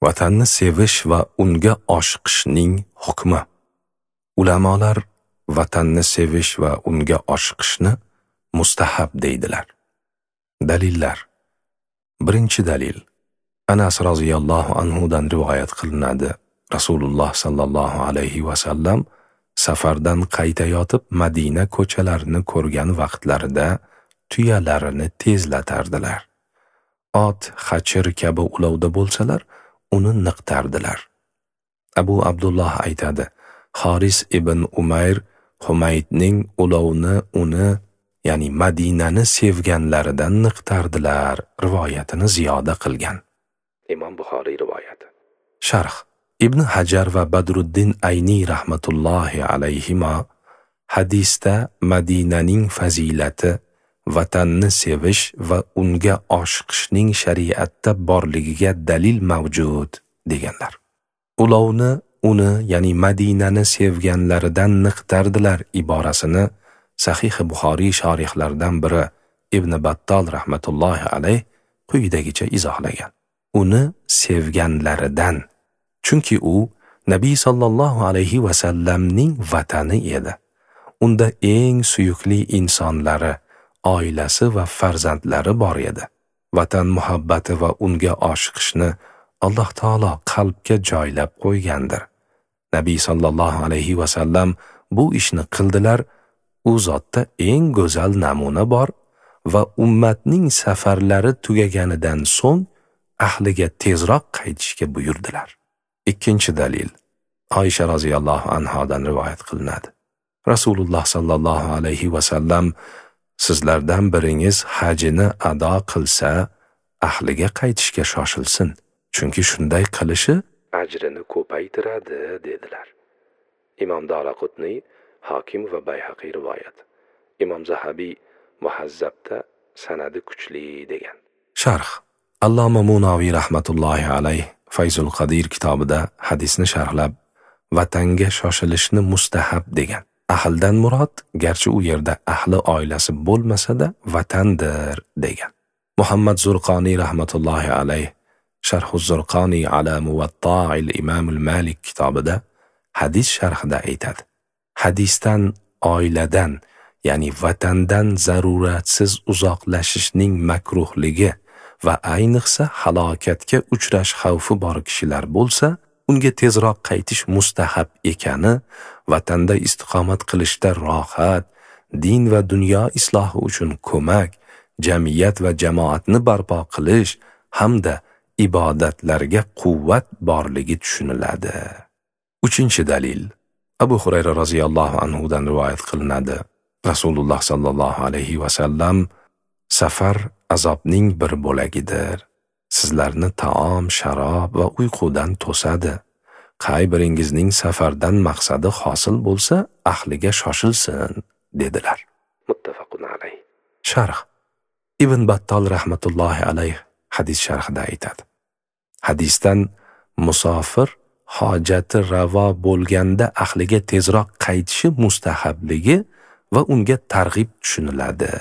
Vatanni sevish va unga oshiqishning hukmi. Ulamolar vatanni sevish va unga oshiqishni mustahab deydilar. Dalillar. Birinchi dalil. Anas roziyallohu anhu dan rivoyat qilinadi. Rasululloh sallallohu alayhi va sallam safardan qaytayotib Madina ko'chalarini ko'rgan vaqtlarida tuyalarini tezlatardilar. Ot, xachir kabi ulovda bo'lsalar, uni niqtardilar. Abu Abdulloh aytadi: Haris ibn Umayr Humaydning ulovni uni, ya'ni Madinani sevganlaridan niqtardilar rivoyatini ziyoda qilgan. Imom Buxoriy rivoyati. Sharh. Ibn Hajar va Badruddin Ayni rahmatullohi alayhima hadisda Madinaning fazilati, vatanni sevish va unga oshiqishning shariatda borligiga dalil mavjud deganlar. Ulovni uni, ya'ni Madinani sevganlaridan niqtardilar iborasini Sahih Buxoriy shorihlaridan biri Ibn Battol rahmatullohi alayh quyidagicha izohlagan. Uni sevganlaridan, chunki u Nabiy sallallohu alayhi va sallamning vatani edi. Unda eng suyukli insonlari, oilasi va farzandlari bor edi. Vatan muhabbati va unga oshiqishni Alloh taolo qalbga joylab qo'ygandir. Nabiy sallallohu alayhi va sallam bu ishni qildilar. U zotda eng go'zal namuna bor va ummatning safarlari tugaganidan so'ng ahliga tezroq qaytishga buyurdilar. Ikkinchi dalil. Oysha roziyallohu anhodan rivoyat qilinadi. Rasululloh sallallohu alayhi va sallam sizlardan biringiz hajini ado qilsa, ahliga qaytishga shoshilsin, chunki shunday qilishi ajrini ko'paytiradi dedilar. Imom Daraqutniy, Hokim va Bayhaqiy rivoyat. Imom Zahabiy Muhazzabda sanadi kuchli degan. Sharh. Alloma Munoviy rahmatullohi alayh Fayzul Qadir kitobida hadisni sharhlab, vatanga shoshilishni mustahab degan. Ahldan murod, garchi u yerda ahli oilasi bo'lmasa-da, vatandir degan. Muhammad Zurqoniy rahmatullohi alayh Sharh Zurqoniy ala Muvatta'il Imam al-Malik kitobida hadis sharhida aytadi. Hadisdan oiladan, ya'ni vatandan zaruratsiz uzoqlashishning makruhligi va ayniqsa halokatga uchrash xavfi bor kishilar bo'lsa, unga tezroq qaytish mustahab ekani, vatanda istiqomat qilishda rohat, din va dunyo islohi uchun ko'mak, jamiyat va jamoatni barpo qilish hamda ibodatlarga quvvat borligi tushuniladi. Uchinchi dalil. Abu Hurayra roziyallohu anhu dan rivoyat qilinadi. Rasululloh sallallohu alayhi va sallam safar azobning bir bo'lagidir. Sizlarni taom, sharob va uyqudan to'sadi. Qay biringizning safardan maqsadi hosil bo'lsa, ahliga shoshilsin dedilar. Muttafaqun alayh. Sharh. Ibn Battol rahmatullohi alayh hadis sharhida aytadi. Hadisdan musofir hojati ravo bo'lganda ahliga tezroq qaytishi mustahabligi va unga targ'ib tushuniladi.